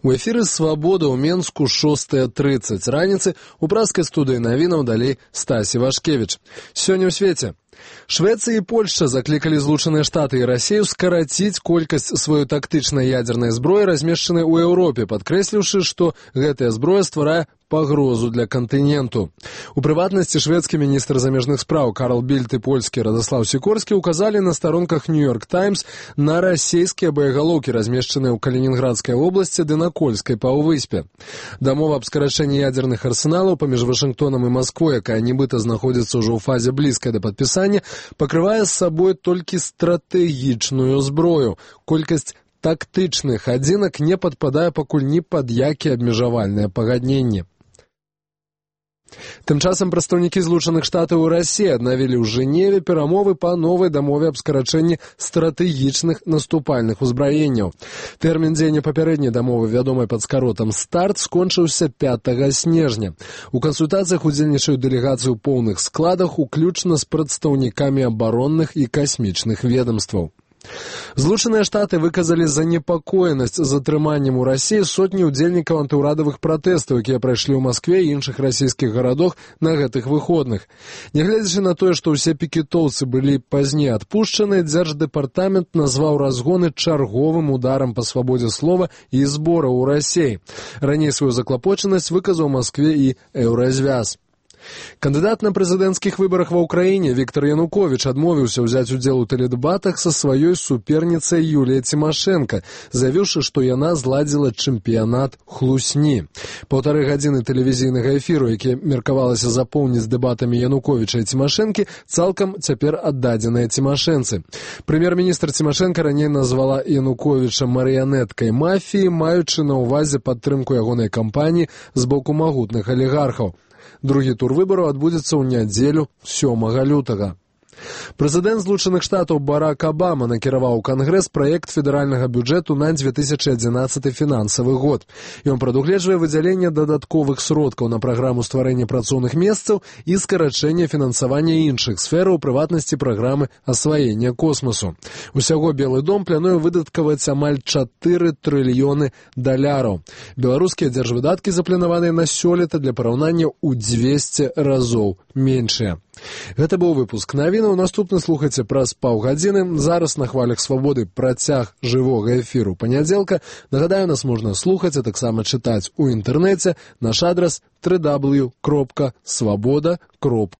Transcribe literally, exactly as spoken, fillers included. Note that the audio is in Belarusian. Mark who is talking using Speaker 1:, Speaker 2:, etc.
Speaker 1: У эфіры «Свабода» ў Менску шостая трыццаць раніцы у праскай студыі навінаў далей Стасі Вашкевіч. Сёння ў свеце. Швеция и Польша закликали Злучаныя Штаты и Россию скоротить колькасць сваёй тактычнай ядерной зброі, размешчанай у Еўропе, падкрэсліўшы, што гэтая зброя стварае пагрозу для кантыненту. У прыватнасці шведскі міністр замежных спраў Карл Більд і польскі Радослаў Сікорскі указалі на старонках «Нью-Йорк Таймс» на расійскія боегалоўкі, размешчаныя ў Калінінградскай обласці ды на Кольскай паўвыспе. Дамова аб скарачэнні ядерных арсеналаў паміж Вашынгтонам і Масквой, якая нібыта знаходзіцца ўжо ў фазе блізкай да падпісання, пакрывае з сабой толькі стратэгічную зброю. Колькасць тактычных адзінак не падпадае пакуль ні пад якія абмежавальныя пагадненні. Тым часам прадстаўнікі Злучаных Штатаў і Расіі аднавілі ў Жэневе перамовы па новай дамове аб скарачэнні стратэгічных наступальных узбраенняў. Тэрмін дзеяння папярэдняй дамовы, вядомай пад скаротам «Старт», скончыўся пятага снежня. У кансультацыях удзельнічаюць дэлегацыі ў поўных складах, уключна з прадстаўнікамі абаронных і касмічных ведомстваў. Злучаныя Штаты выказалі занепакоенасць затрыманнем у Расіі сотні ўдзельнікаў антыўрадавых пратэстаў, якія прайшлі ў Маскве і іншых расійскіх гарадах на гэтых выходных. Нягледзячы на тое, што ўсе пікетоўцы былі пазней адпушчаны, дзярждэпартамент назваў разгоны чарговым ударам па свабодзе слова і збораў у Расіі. Раней сваю заклапочанасць выказаў Маскве і Еўразвяз. Кандыдат на прэзідэнцкіх выбарах ва ўкраіне Віктор Януковіч адмовіўся ўзяць удзел у тэледэбатах са сваёй суперніцай Юліяй Цімашэнка, заявіўшы, што яна зладзіла чэмпіянат хлусні. Паўтары гадзіны тэлевізійнага эфіру, які меркавалася запоўніць дэбатамі Януковіча і Цімашэнкі, цалкам цяпер аддадзеныя цімашэнцы. Прэм'ер-міністр Цімашэнка раней назвала Януковіча марыянеткай мафіі, маючы на ўвазе падтрымку ягонай кампаніі з боку магутных алігархаў. Другі тур выбараў адбудзецца ў нядзелю сёмага лютага. Прэзідэнт Злучаных Штатаў Барак Абама накіраваў у Кангрэс праект федэральнага бюджэту на две тысячи адзінаццаты фінансавы год. Ён прадугледжвае выдзяленне дадатковых сродкаў на праграму стварэння працоўных месцаў і скарачэнне фінансавання іншых сфераў, у прыватнасці праграмы асваення космосу. Усяго Белы дом плануе выдаткаваць амаль чатыры трыльёны даляраў. Беларускія дзяржвыдаткі запланаваныя на сёлета для параўнання ў дзвесце разоў меншыя. Гэта быў выпуск навінаў. Наступны слухайце праз паўгадзіны. Зараз на хвалях свабоды працяг жывога эфіру панядзелка. Нагадаю, нас можна слухаць, а таксама чытаць у інтэрнэце. Наш адрас дабл ю дабл ю дабл ю кропка свабода кропка